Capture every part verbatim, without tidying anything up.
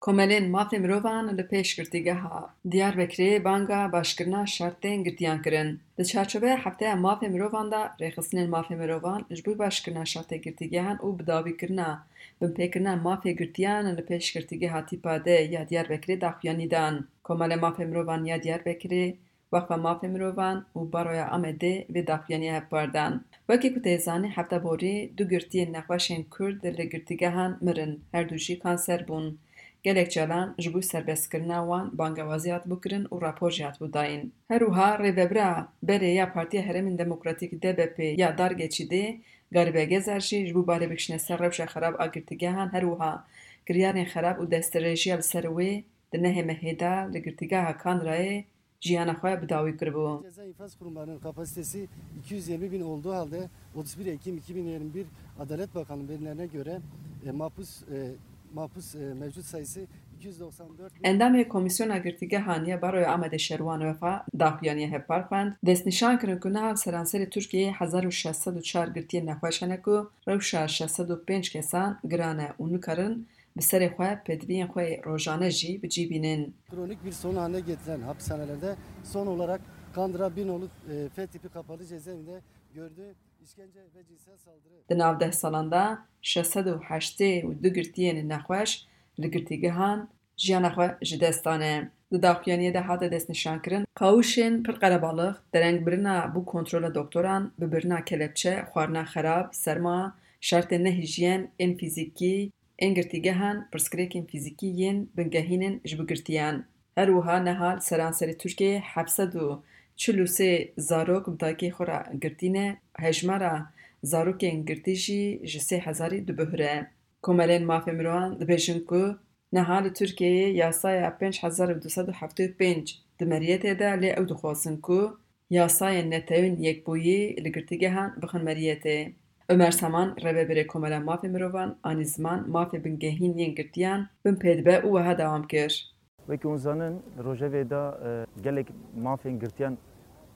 Komelên mafê mirovan li pêş girtîgeha Diyarbekirê banga başkirina şertên girtiyan kirin. Di çarçoveya Hefteya Mafê Mirovan de rêxistinên mafê mirovan ji bo başkirina şertê girtîgehan û bidawîkirina binpêkirina mafê girtiyan li pêş girtîgeha tîpa D ya Diyarbekirê daxuyanî dan. Komelê Mafê Mirovan ya Diyarbekirê, Wexfa Mafê Mirovan û Baroya Amedê vê daxuyaniyê hevpar dan. Wekî ku tê zanîn, hefta borî du girtiyên nexweşên Kurd li girtîgehan mirin, her du jî kanser bûn. Gelek caran ji bo serbestkirina wan bangewazî hatibû kirin û rapor jî hatibû dayîn. Her wiha rêvebira berê ya Partiya Herêmên Demokratîk D B P ya Dargeçîdê, Garîbe Gezer jî ji bo barê bikişîne ser rewşa xerab a girtîgehan, her wiha kiryarên xerab û destdirêjiya li ser wê di nehê mehê de li girtîgeha Kandirayê jiyana xwe bi dawî kiribû. Ceza infaz kurumlarının kapasitesi iki yüz yirmi bin olduğu halde otuz bir Ekim iki bin yirmi bir Adalet Bakanlığı verilerine göre, e, mahpus, e, mahpus, e, mevcut sayısı iki yüz doksan dört bin. Endamê Komîsyona Girtîgehan ya Baroya Amedê Şerwan Wefa daxuyaniyê hevpar xwend, destnîşan kirin ku niha li seranserê Tirkiyeyê hezar û şeş sed û çar girtiyên nexweş hene ku rewşa şeş sed û pênc kesan giran e û nikarin bi serê xwe pêdiviyên xwe yê rojane jî bi cî bînin. Kronik bir sorun haline getiren hapishanelerde son olarak Kandıra Binolu, e, F tipi kapalı cezaevinde gördü. İşkence ve cinsel saldırı. Di nav deh salan de şeş sed û heştê û du girtiyên nexweş li girtîgehan jiyana xwe ji dest dane. Di daxuyaniyê de hate destnîşankirin, qawişên pir qerebalix, derengbirina bo kontrola doktoran, bibirina kelepçe, xwarina xerab, serma, şertên nehîjyen ên fîzîkî ên girtîgehan, pirsgirêkên fîzîkî yên bingehîn in ji bo girtiyan. Her wiha niha li seranserê Tirkiyeyê heft sed û çil û sê zarok bi dayikê xwe re girtî ne, hejmara zarokên girtî jî ji sê hezarî dibihure. Komelên mafê mirovan dibêjin ku niha li Tirkiyeyê yasaya pênc hezar û du sed û heftê û pênc di meriyetê de, lê ew dixwazin ku yasayên netewên yekbûyî li girtîgehan bixin meriyetê. Omer Saman, rêvebirê Komela Mafê Mirovan, anî ziman mafê bingehîn yên girtiyan bin pê dibe û wiha dewam kir. Wekî hûn zanin, rojevê de, e, gelek mafên girtiyan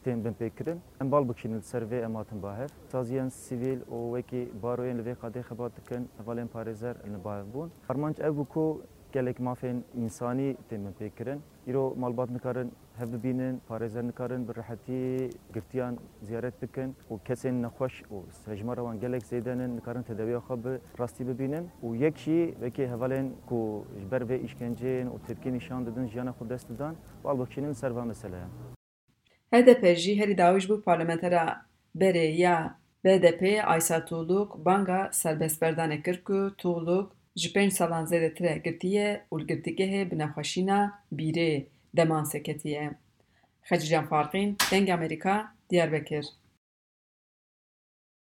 tên binpêkirin. Em bal bikişînin li ser vê, em hatin ba hev. Saziyên sivîl û wekî baroyên li vê qadê xebat dikin, hevalên parêzer li ba hev bûn. Armanc ev bû ku gelek mafên însanî tên binpêkirin. Îro malbat nikarin hev bibînin, parêzer nikarin bi rehetî girtiyan ziyaret bikin û kesên nexweş û hejmara wan gelek zêde nin, nikarin tedawiya xwe bi rastî bibînin û yek jî wekî hevalên ku ji ber vê îşkenceyên û tepkî nîşan didin, jiyana xwe dest didan, bal bikişînin li ser va meseleya. H D P jî herî dawî ji bo parlamentera berê ya B D P Aysa Tuğluk banga serbestberdanê kir ku Tuğluk ji pênc salan zêdetir e girtî ye û li girtîgehê bi nexweşîna bîrê, demans, ketiye. Xecîcan Farqîn, Dengê Amerîka, Diyarbekir.